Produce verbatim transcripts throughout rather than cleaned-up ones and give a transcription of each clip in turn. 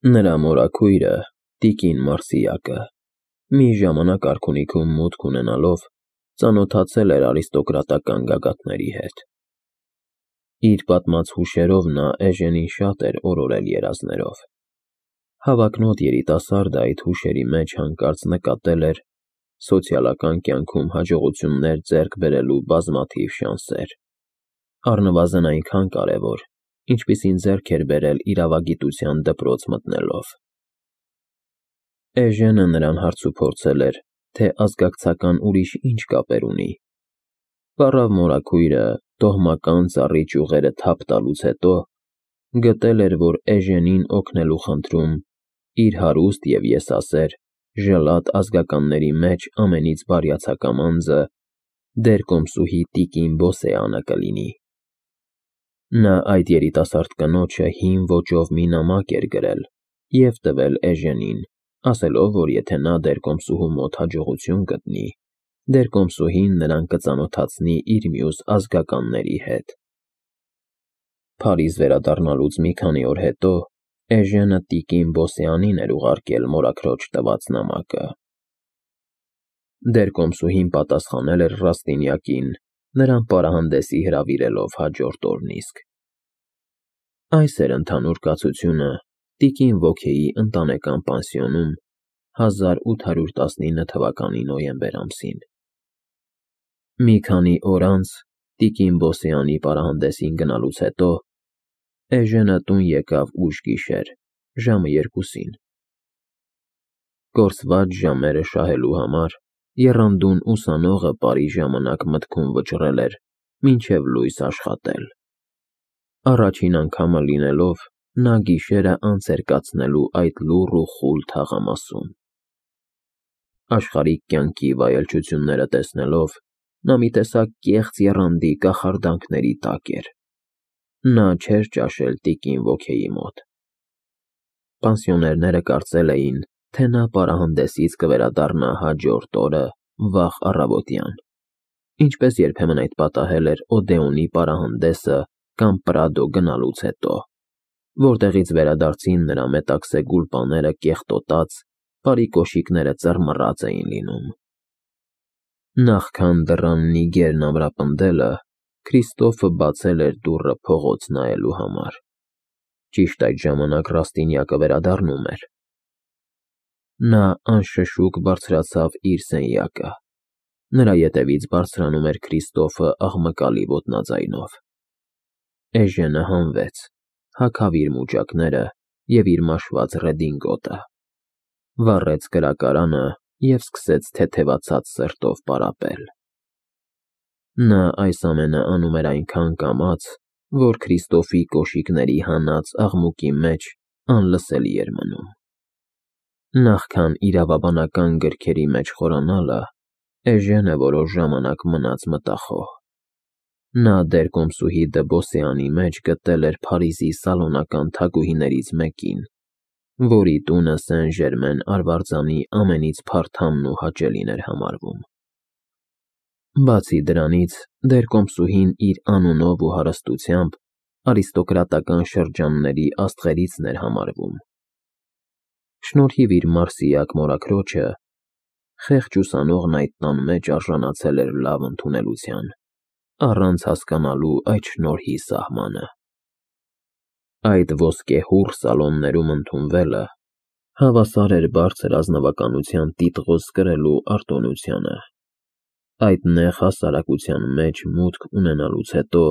Նրա մորաքույրը, տիկին Մարսիակը, մի ժամանակ արքունիքում մուտք ունենալով, ծանոթացել էր արիստոկրատական գագաթների հետ։ Իր պատմած հուշերով նա Էժենին շատ էր օրորել երազներով։ Հավակնոտ երիտասարդը այդ հուշերի մեջ հանկարծ նկատել էր սոցիալական կյանքում հաջողություններ ձեռք բերելու բազմաթիվ շանսեր, առնվազն այնքան կարևոր, ինչպիսին ձեռք էր բերել իրավագիտության դպրոց մտնելով։ Էժենը նրան հարցուփորձել էր, թե ազգակցական ուրիշ ինչ կապեր ունի։ Վառավ մորաքույրը տոհմական ծառի ճյուղերը թափ տալուց հետո գտել էր, որ Էժենին օգնելու խնդրում իր հարուստ և եսասեր, ժլատ ազգականների մեջ ամենից բարյացակամ անձը դերկոմսուհի տիկին Բոսեանը կլինի։ Նա այդ երիտասարդ կնոջը հին ոճով մի նամակ էր գրել և տվել Էժենին, ասելով, որ եթե նա դերկոմսուհու մոտ հաջողություն գտնի, դերկոմսուհին նրան կծանոթացնի իր մյուս ազգականների հետ։ Փարիզ վերադառնալուց մի քանի օր հետո Էժենը տիկին Բոսեանին էր ուղարկել մորաքրոջ տված նամակը։ Դերկոմսուհին պատասխանել էր Ռաստինյակին, նրան պարահանդեսի հրավիրելով հաջորդ օրն իսկ։ Այս էր ընդհանուր կացությունը տիկին Վոքեի ընտանեկան պանսիոնում հազար ութ հարյուր տասնինը թվականի նոյեմբեր ամսին։ Մի քանի օր անց տիկին Բոսեանի պարահանդեսին գնալուց հետո Էժենը տուն եկավ ուշ գիշեր, ժամը երկուսին։ Կորսված ժամերը շահելու համար եռանդուն ուսանողը պարի ժամանակ մտքում վճռել էր մինչև լույս աշխատել։ Առաջին անգամը լինելով, նա գիշերը անց էր կացնելու այդ լուռ ու խուլ թաղամասում։ Աշխարհիկ կյանքի վայելչությունները տեսնելով, նա մի տեսակ կեղծ եռանդի կախարդանքների տակ էր։ Նա չէր ճաշել տիկին Վոքեի մոտ։ Պանսիոներները կարծել էին, թե նա պարահանդեսից կվերադառնա հաջորդ օրը վաղ առավոտյան, ինչպես երբեմն այդ պատահել էր Օդեոնի պարահանդեսը կամ Պրադո գնալուց հետո, որտեղից վերադարձին նրա մետաքսե գուլպաները կեղտոտած, բարի կոշիկները ծռմռած էին լինում։ Նախքան դռան նիգերն ամրապնդելը, Քրիստոֆը բացել էր դուռը փողոց նայելու համար։ Ճիշտ այդ ժամանակ Ռաստինյակը վերադառնում էր։ Նա անշշուկ բարձրացավ իր սենյակը։ Նրա ետևից բարձրանում էր Քրիստոֆը աղմկալի ոտնաձայնով։ Էժենը հանվեց, հագավ իր մուճակները և իր մաշված ռեդինգոտը, վառեց կրակարանը և սկսեց թեթևացած սրտով պարապել։ Նա այս ամենը անում էր այնքան կամաց, որ Քրիստոֆի կոշիկների հանած աղմուկի մեջ անլսելի էր մնում։ Նախքան իրավաբանական գրքերի մեջ խորանալը, Էժենը որոշ ժամանակ մնաց մտախոհ։ Նա դերկոմսուհի Դը Բոսեանի մեջ գտել էր Փարիզի սալոնական թագուհիներից մեկին, որի տունը Սեն֊Ժերմեն արվարձանի ամենից փարթամն ու հաճելին էր համարվում։ Բացի դրանից, դերկոմսուհին իր անունով ու հարստությամբ արիստոկրատական շրջանների աստղերիցն էր համարվում։ Շնորհիվ իր Մարսիակ մորաքրոջը, խեղճ ուսանողն այդ տան մեջ արժանացել էր լավ ընդունելության, առանց հասկանալու այդ շնորհի սահմանը։ Այդ ոսկեհուռ սալոններում ընդունվելը հավասար էր բարձր ազնվականության տիտղոս կրելու արտոնությանը։ Այդ նեղ հասարակության մեջ մուտք ունենալուց հետո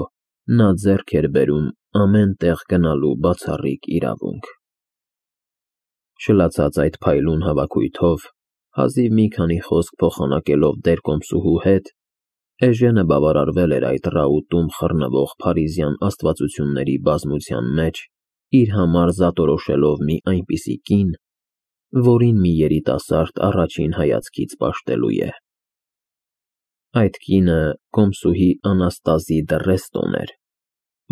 նա ձեռք էր բերում ամեն տեղ գնալու բացառիկ իրավունք։ Շլացած այդ փայլուն հավաքույթով, հազիվ մի քանի խոսք փոխանակելով դերկոմսուհու հետ, Էժենը բավարարվել էր այդ ռաուտում խռնվող փարիզյան աստվածությունների բազմության մեջ իր համար զատորոշելով մի այնպիսի կին, որին մի երիտասարդ առաջին հայացքից պաշտելու է։ Այդ կինը կոմսուհի Անաստազի դը Ռեստոն էր,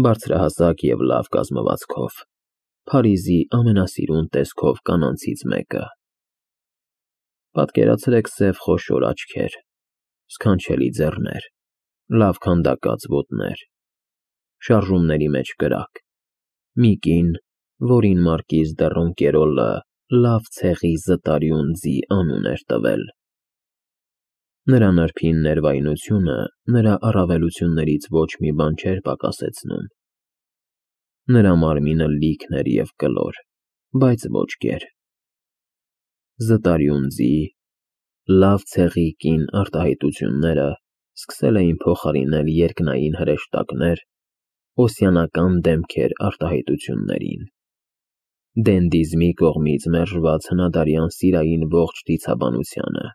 բարձրահասակ և լավ կազմվածքով, Փարիզի ամենասիրուն տեսքով կանանցից մեկը։ Պատկերացրեք սև խոշոր աչքեր, սքանչելի ձեռներ, լավ քանդակած ոտներ, շարժումների մեջ կրակ, մի կին, որին մարկիզ դե Ռոնկերոլը լավ ցեղի Զտարյուն ձի անուն էր տվել։ Նրա նրբին ներվայնությունը նրա առավելություններից ոչ մի բան չէր պակասեցնում։ Նրա մարմինը լիքն էր և կլոր, բայց ոչ գեր։ Զտարյուն ձի լավ ցեղի կին արտահայտությունները սկսել էին փոխարինել երկնային հրեշտակներ, օսյանական դեմքեր արտահայտություններին, դենդիզմի կողմից մերժված հնադարյան սիրային ողջ դիցաբանությանը։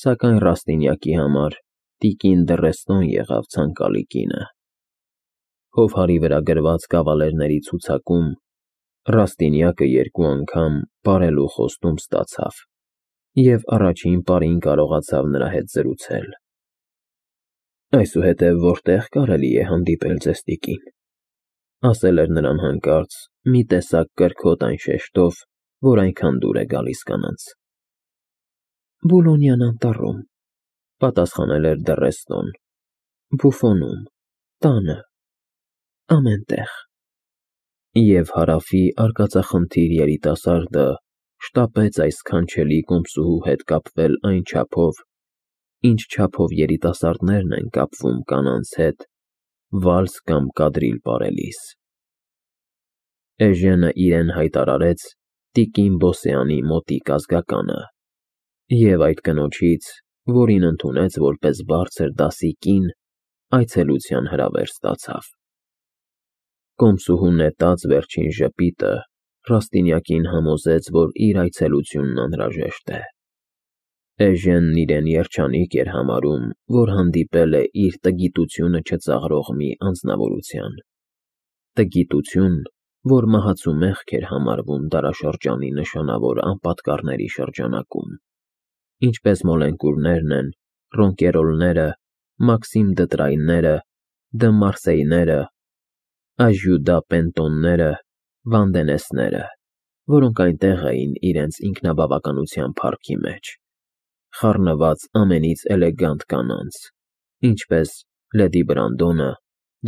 Սակայն Ռաստինյակի համար տիկին Դռեստոն եղավ ցանկալի կինը։ Հովհարի վրա գրված կավալերների ցուցակում Ռաստինյակը երկու անգամ պարելու խոստում ստացավ և առաջին պարին կարողացավ նրա հետ զրուցել։ «Այսուհետև որտե՞ղ կարելի է հանդիպել ձեզ, տիկին», ասել էր նրան հանկարծ մի տեսակ կրքոտ այն շեշտով, որ այնքան դուր է գալիս կանանց։ «Բուլոնյան անտառում», պատասխանել էր Դռեստոն, «Բուֆոնում, տանը, ամեն տեղ»։ Եվ Հարավի արկածախնդիր երիտասարդը շտապեց այս սքանչելի կոմսուհու հետ կապվել այն չափով, ինչ չափով երիտասարդներն են կապվում կանանց հետ վալս կամ կադրիլ պարելիս։ Էժենը իրեն հայտարարեց տիկին Բոսեանի մոտիկ ազգականը և այդ կնոջից, որին ընդունեց որպես բարձր դասի կին, այցելության հրավեր ստացավ։ Կոմսուհու նետած վերջին ժպիտը Ռաստինյակին համոզեց, որ իր այցելությունն անհրաժեշտ է։ Էժենն իրեն երջանիկ էր համարում, որ հանդիպել է իր տգիտությունը չծաղրող մի անձնավորության, տգիտություն, որ մահացու մեղք էր համարվում դարաշրջանի նշանավոր անպատկառների շրջանակում, ինչպես Մոլենկուրներն են, Ռոնկերոլները, Մաքսիմ Դտրայները, Դը Մարսեյները, Աժյուդա Պենտոնները, Վանդենեսները, որոնք այնտեղ էին իրենց ինքնաբավականության փառքի մեջ, խառնված ամենից էլեգանտ կանանց, ինչպես լեդի Բրանդոնը,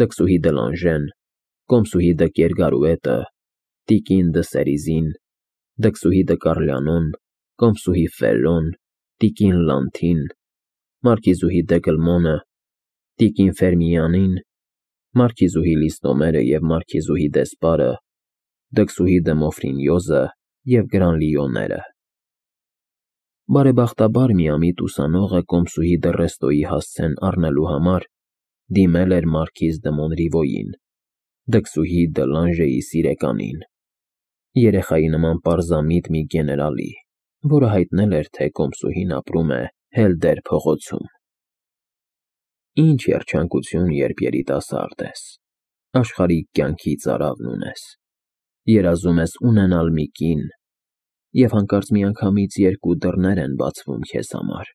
դքսուհի Դլանժեն, կոմսուհի Դը Կերգարուետը, տիկին Դը Սերիզին, դքսուհի Դը Կարլյանոն, կոմսուհի Ֆելլոն, տիկին Լանթին, մարքիզուհի Դե Գլմոնը, տիկին Ֆերմիանին, մարքիզուհի Լիստոմերը և մարքիզուհի Դեսպարը, դքսուհի Դը Մոֆրինյոզը և Գրանլիոները։ Բարեբախտաբար միամիտ ուսանողը կոմսուհի Դռեստոյի հասցեն առնելու համար դիմել էր մարքիզ Դը Մոնրիվոյին, դքսուհի Դը Լանժեի սիրեկանին, երեխայի նման պարզամիտ մի գեներալի, որը հայտնել էր, թե կոմսուհին ապրում է Հելդեր փողոցում։ Ինչ երջանկություն, երբ երիտասարդ ես, աշխարհիկ կյանքի ծարավն ունես, երազում ես ունենալ մի կին, և հանկարծ միանգամից երկու դռներ են բացվում քեզ համար,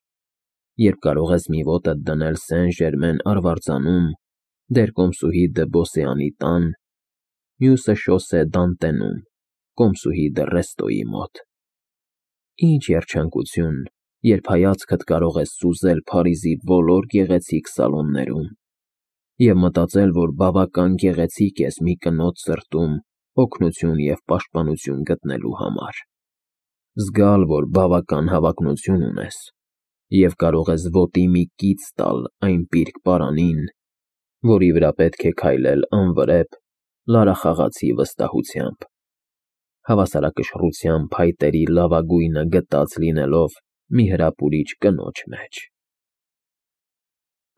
երբ կարող ես մի ոտդ դնել Սեն Ժերմեն արվարձանում, դեր կոմսուհի Դը Բոսեանի տան, մյուսը Շոսե Դանտենում, կոմսուհի Դռեստոյի մոտ։ Ինչ երջանկություն, երբ հայացքդ կարող ես սուզել Փարիզի բոլոր գեղեցիկ սալոններում և մտածել, որ բավական գեղեցիկ ես մի կնոջ սրտում օգնություն և պաշտպանություն գտնելու համար, զգալ, որ բավական հավակնություն ունես և կարող ես ոտի մի կից տալ այն պիրկ պարանին, որի վրա պետք է քայլել անվրեպ, լարախաղացի վստահությամբ, հավասարակշռության փայտերի լավագույնը գտած լինելով մի հրապուրիչ կնոջ մեջ։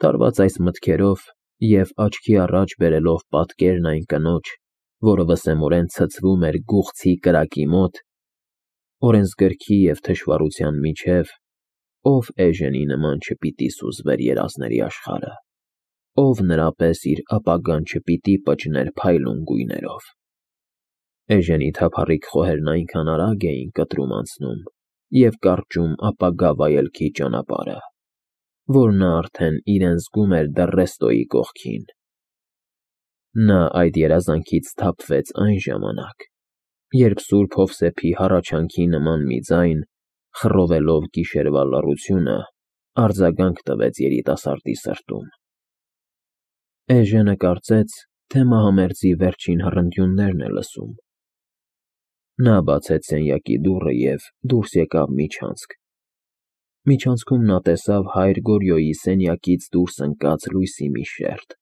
Տարված այս մտքերով և աչքի առաջ բերելով պատկերն այն կնոջ, որը վսեմորեն ցցվում էր գուղցի կրակի մոտ, օրենսգրքի և թշվառության միջև, ով Էժենի նման չպիտի սուզվեր երազների աշխարհը, ով նրա պես իր ապագան չպիտի պճներ փայլուն գույներով։ Էժենի թափառիկ խոհերն այնքան արագ էին կտրում անցնում և կարճում ապագա վայելքի ճանապարհը, որ նա արդեն իրեն զգում էր Դռեստոյի կողքին։ Նա այդ երազանքից սթափվեց այն ժամանակ, երբ Սուրբ Հովսեփի հառաչանքի նման մի ձայն, խռովելով գիշերվա լռությունը, արձագանք տվեց երիտասարդի սրտում։ Էժենը կարծեց, թե մահամերձի վերջին հռնդյուններն է լսում։ Նա բացեց սենյակի դուռը և դուրս եկավ միջանցք։ Միջանցքում նա տեսավ հայր Գորյոյի սենյակից դուրս ընկած լույսի մի շերջ։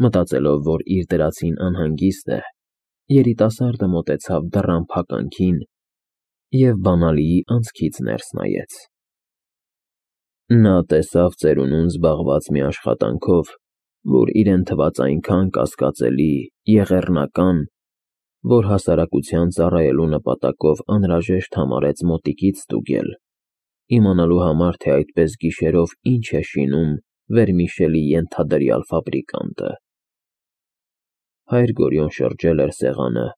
Մտածելով, որ իր դրածին անհանգիստ է, երիտասարդը մոտեցավ դռան փականքին և բանալիի անցքից ներս նայեց։ Նա տեսավ ծերունուն զբաղված մի աշխատանքով, որ իրեն թվաց այնքան կասկածելի, եղեռնական, որ հասարակության ծառայելու նպատակով անհրաժեշտ համարեց մոտիկից ստուգել, իմանալու համար, թե այդպես գիշերով ինչ է շինում Վերմիշելի ենթադրյալ ֆաբրիկանտը։ Հայր Գորյուն շրջել էր սեղանը,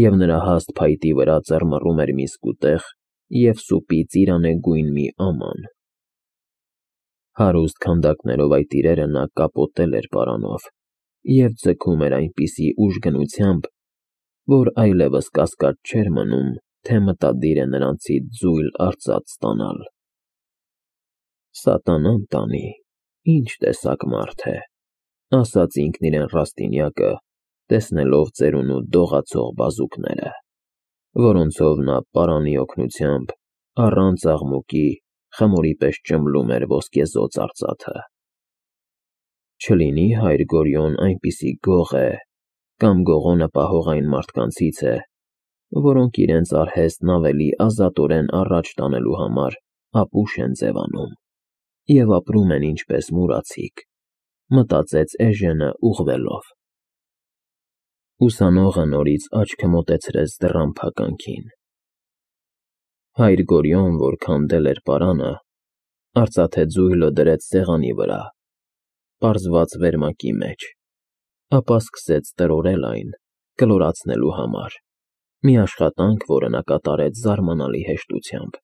և նրա հաստ փայտի վրա ծռմռում էր մի սկուտեղ և սուպի ծիրանեգույն մի աման։ Հարուստ քանդակներով այդ իրերը նա կապոտել էր պարանով և ձգում էր այնպիսի ուժգնությամբ, որ այլևս կասկած չէր մնում, թե մտադիր է նրանցից ձույլ արծաթ ստանալ։ «Սատանան տանի, ինչ տեսակ մարդ է», ասաց ինքն իրեն Ռաստինյակը, տեսնելով ծերունու դողացող բազուկները, որոնցով նա պարանի օգնությամբ, առանց աղմուկի, խմորի պես ճմլում էր ոսկեզօծ արծաթը։ Չլինի հայր Գորյուն այնպիսի գող է կամ գողոնը պահող այն մարդկանցից է, որոնք իրենց արհեստն ավելի ազատորեն առաջ տանելու համար ապուշ են ձևանում և ապրում են ինչպես մուրացիկ, մտածեց Էժենը ուղղվելով։ Ուսանողը նորից աչքը մոտեցրեց դռան փականքին։ Հայր Գորյուն, որ քանդել էր պարանը, արծաթե ձույլը դրեց սեղանի վրա, պարզված վերմակի մեջ, ապա սկսեց տրորել այն, կլորացնելու համար, մի աշխատանք, որը նա կատարեց զարմանալի հեշտությամբ։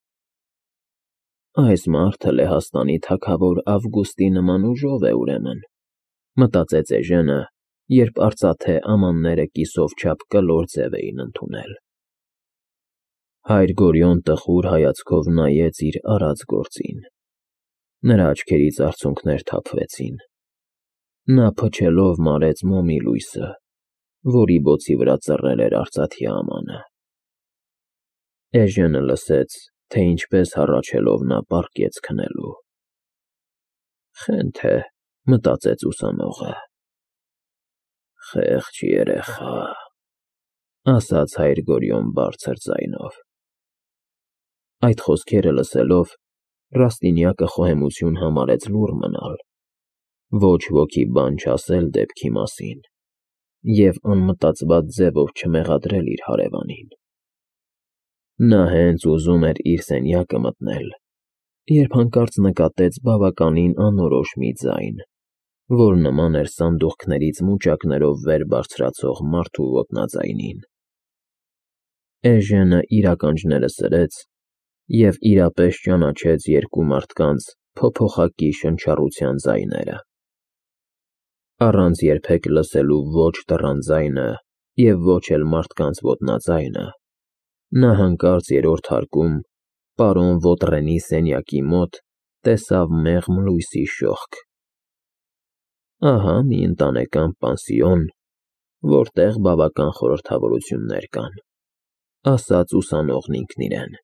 «Այս մարդը Լեհաստանի թագավոր Ավգուստի նման ուժով է, ուրեմն», մտածեց Էժենը, երբ արծաթե ամանները կիսով չափ կլոր ձև էին ընդունել։ Հայր Գորյուն տխուր հայացքով նայեց իր արած գործին։ Նրա աչքերից արցունքներ թափվեցին։ Նա փչելով մարեց մոմի լույսը, որի բոցի վրա ծռել էր արծաթի ամանը։ Էժենը լսեց, թե ինչպես հառաչելով նա պառկեց քնելու։ «Խենթ է», մտածեց ուսանողը։ «Խեղճ երեխա», ասաց հայր Գորյուն բարձր ձայնով։ Այդ խոսքերը լսելով, Ռաստինյակը խոհեմություն համարեց լուռ մնալ, ոչ ոքի բան չասել դեպքի մասին և անմտածված ձևով չմեղադրել իր հարևանին։ Նա հենց ուզում էր իր սենյակը մտնել, երբ հանկարծ նկատեց բավականին անորոշ մի ձայն, որ նման էր սանդուղքներից մուճակներով վեր բարձրացող մարդու ոտնաձայնին։ Էժենը իր ականջները սրեց և իրապես ճանաչեց երկու մարդկանց փոփոխակի շնչառության ձայները։ Առանց երբեք լսելու ոչ դռան ձայնը և ոչ էլ մարդկանց ոտնաձայնը, նա հանկարծ երրորդ հարկում պարոն Վոտրենի սենյակի մոտ տեսավ մեղմ լույսի շողք։ «Ահա մի ընտանեկան պանսիոն, որտեղ բավական խորհրդավորություններ կան», ասաց ուսանողն ինքն իրեն։